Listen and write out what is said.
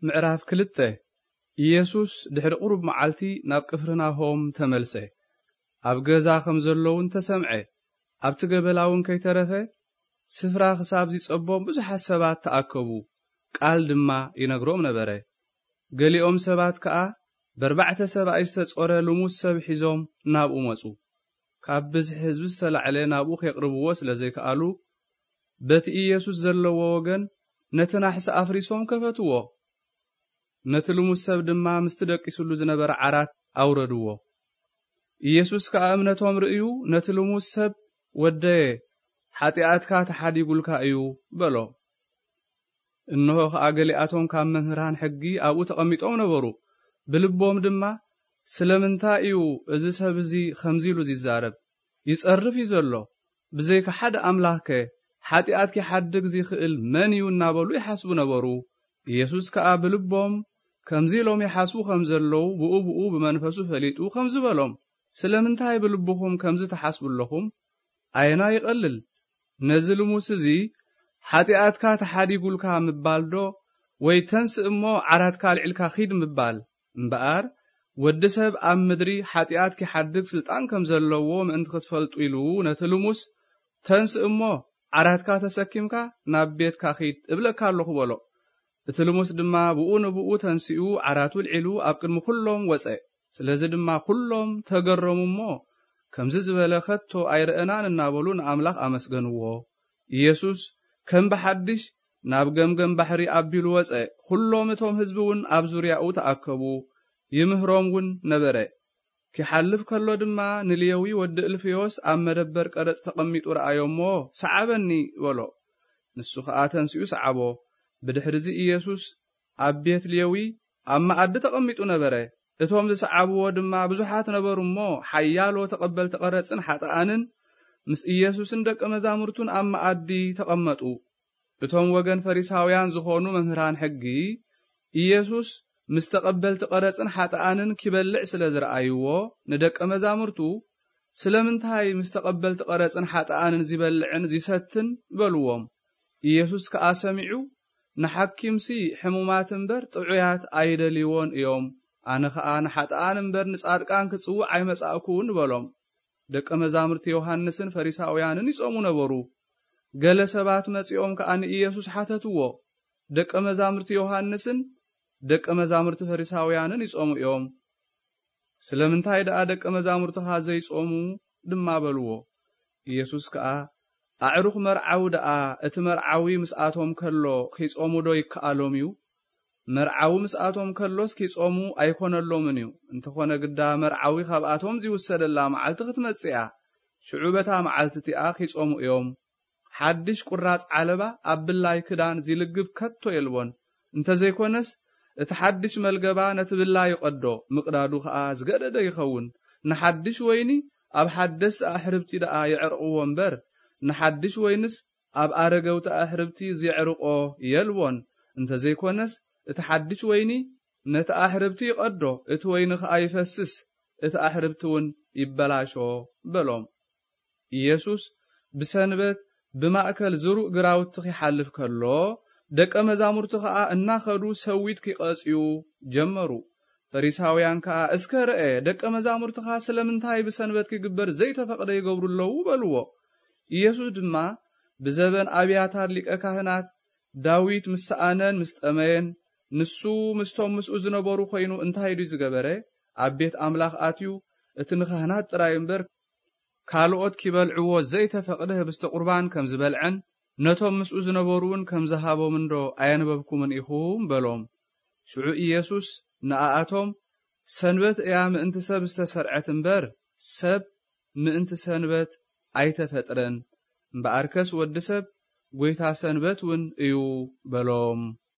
ምዕራፍ ክልተ። ኢየሱስ ድሕሪ ቁሩብ መዓልቲ ናብ ቅፍርናሆም ተመልሰ። ኣብ ገዛ ከም ዘለውን ተሰምዐ። ኣብቲ ገበላ እውን ከይተረፈ ስፍራ ክሳብ ዝጸቦም ብዙሓት ሰባት ተኣከቡ። ቃል ድማ ይነግሮም ነበረ። ገሊኦም ሰባት ከኣ በርባዕተ ሰብኣይ ዝተጾረ ልሙስ ሰብ ሒዞም ናብኡ መጹ። ካብ ብዝሒ ህዝቢ ዝተላዕለ ናብኡ ከየቕርብዎ ስለ ዘይከኣሉ፣ በቲ ኢየሱስ ዘለዎ ወገን ነቲ ናሕሲ ኣፍሪሶም ከፈትዎ። ነቲ ልሙስ ሰብ ድማ ምስቲ ደቂስሉ ዝነበረ ዓራት ኣውረድዎ። ኢየሱስ ከኣ እምነቶም ርእዩ፣ ነቲ ልሙስ ሰብ፣ "ወደየ፣ ሓጢኣትካ ተሓዲጉልካ እዩ" በሎ። እንሆ ከኣ ገሊኣቶም ካብ መምህራን ሕጊ ኣብኡ ተቐሚጦም ነበሩ። ብልቦም ድማ፣ "ስለምንታይ እዩ እዚ ሰብ እዚ ከምዚ ኢሉ ዚዛረብ? ይጸርፍ እዩ ዘሎ። ብዘይካ ሓደ ኣምላኽከ ሓጢኣት ኪሓድግ ዚኽእል መን እዩ?" እናበሉ ይሓስቡ ነበሩ። ኢየሱስ ከኣ ብልቦም ከምዚ ኢሎም ይሓስቡ ከም ዘለዉ ብኡ ብኡ ብመንፈሱ ፈሊጡ ከምዚ በሎም፣ "ስለምንታይ ብልብኹም ከምዚ ትሓስቡ ኣለኹም? ኣየናይ ይቐልል? ነዚ ልሙስ እዚ ሓጢኣትካ ተሓዲጉልካ ምባል ዶ፣ ወይ ተንስእ እሞ ዓራትካ ኣልዒልካ ኺድ ምባል? እምበኣር ወዲ ሰብ ኣብ ምድሪ ሓጢኣት ኪሓድግ ስልጣን ከም ዘለዎ ምእንቲ ክትፈልጡ ኢሉ ነቲ ልሙስ፣ 'ተንስእ እሞ ዓራትካ ተሰኪምካ ናብ ቤትካ ኺድ እብለካ ኣለኹ' በሎ። እቲ ልሙስ ድማ ብኡ ንብኡ ተንሲኡ ዓራቱ ኣልዒሉ ኣብ ቅድሚ ኹሎም ወጸ። ስለዚ ድማ ኹሎም ተገረሙ እሞ፣ "ከምዚ ዝበለ ከቶ ኣይረኣናን" እናበሉ ንኣምላኽ ኣመስገንዎ። ኢየሱስ ከም ብሓድሽ ናብ ገምገም ባሕሪ ኣቢሉ ወጸ። ኹሎም እቶም ህዝቢ እውን ኣብ ዙርያኡ ተኣከቡ፣ ይምህሮም እውን ነበረ። ኪሓልፍ ከሎ ድማ ንሌዊ ወዲ እልፍዮስ ኣብ መደበር ቀረጽ ተቐሚጡ ረኣዮ እሞ፣ "ሰዓበኒ" በሎ። ንሱ ኸኣ ተንሲኡ ሰዓቦ። ብድሕሪዚ ኢየሱስ ኣብ ቤት ሌዊ ኣብ መኣዲ ተቐሚጡ ነበረ። እቶም ዝሰዓብዎ ድማ ብዙሓት ነበሩ እሞ፣ ሓያሎ ተቐበልቲ ቀረጽን ሓጥኣንን ምስ ኢየሱስን ደቀ መዛሙርቱን ኣብ መኣዲ ተቐመጡ። እቶም ወገን ፈሪሳውያን ዝኾኑ መምህራን ሕጊ፣ ኢየሱስ ምስ ተቐበልቲ ቀረጽን ሓጥኣንን ኪበልዕ ስለ ዝረኣይዎ፣ ንደቀ መዛሙርቱ፣ "ስለምንታይ ምስ ተቐበልቲ ቀረጽን ሓጥኣንን ዚበልዕን ዚሰትን?" በልዎም። ኢየሱስ ከኣ ሰሚዑ፣ "ንሓኪምሲ ሕሙማት እምበር ጥዑያት ኣይደልይዎን እዮም። ኣነ ኸኣ ንሓጥኣን እምበር ንጻድቃን ክጽውዕ ኣይመጻእኩን" በሎም። ደቀ መዛሙርቲ ዮሃንስን ፈሪሳውያንን ይጾሙ ነበሩ። ገለ ሰባት መጺኦም ከኣ ንኢየሱስ ሓተትዎ፣ "ደቀ መዛሙርቲ ዮሃንስን ደቀ መዛሙርቲ ፈሪሳውያንን ይጾሙ እዮም። ስለምንታይ ደኣ ደቀ መዛሙርትኻ ዘይጾሙ?" ድማ በልዎ። ኢየሱስ ከኣ፣ "ኣዕሩኽ መርዓዊ ደኣ እቲ መርዓዊ ምስኣቶም ከሎ ኺጾሙ ዶ ይከኣሎም እዩ? መርዓዊ ምስኣቶም ከሎስ ኪጾሙ ኣይኮነሎምን እዩ። እንተኾነ ግዳ መርዓዊ ካብኣቶም ዚውሰደላ መዓልቲ ክትመጽእ እያ። ሽዑ በታ መዓልቲ እቲኣ ኪጾሙ እዮም። ሓድሽ ቁራጽ ዓለባ ኣብ ብላይ ክዳን ዚልግብ ከቶ የልቦን። እንተ ዘይኮነስ፣ እቲ ሓድሽ መልገባ ነቲ ብላይ ይቐዶ፣ ምቕዳዱ ኸኣ ዝገደደ ይኸውን። ንሓድሽ ወይኒ ኣብ ሓደስቲ ኣሕርብቲ ደኣ የዕርቕዎ እምበር፣ ንሓድሽ ወይንስ ኣብ ኣረገውቲ ኣሕርብቲ ዜዕርቆ የልቦን። እንተ ዘይኮነስ፣ እቲ ሓድሽ ወይኒ ነቲ ኣሕርብቲ ይቐዶ፣ እቲ ወይኒ ኸኣ ይፈስስ፣ እቲ ኣሕርብቲ እውን ይበላሾ" በሎም። ኢየሱስ ብሰንበት ብማእከል ዝሩእ ግራውቲ ኺሓልፍ ከሎ፣ ደቀ መዛሙርቱ ኸኣ እናኸዱ ሰዊት ኪቐጽዩ ጀመሩ። ፈሪሳውያን ከኣ፣ "እስከ ርአ፣ ደቀ መዛሙርትኻ ስለምንታይ ብሰንበት ኪግበር ዘይተፈቕደ ይገብሩ ኣለዉ?" በልዎ። ኢየሱስ ድማ፣ "ብዘበን ኣብያታር ሊቀ ካህናት ዳዊት ምስ ሰኣነን ምስ ጠመየን፣ ንሱ ምስቶም ምስኡ ዝነበሩ ኾይኑ እንታይ ድዩ ዝገበረ? ኣብ ቤት ኣምላኽ ኣትዩ፣ እቲ ንኻህናት ጥራይ እምበር፣ ካልኦት ኪበልዕዎ ዘይተፈቕደ ህብስተ ቁርባን ከም ዝበልዐን፣ ነቶም ምስኡ ዝነበሩ እውን ከም ዝሃቦም እንዶ ኣየንበብኩምን ኢኹም?" በሎም። ሽዑ ኢየሱስ ንኣኣቶም፣ "ሰንበት እያ ምእንቲ ሰብ ዝተሰርዐት እምበር፣ ሰብ ምእንቲ ሰንበት ኣይተፈጥረን። እምበኣርከስ ወዲ ሰብ ጐይታ ሰንበት እውን እዩ" በሎም።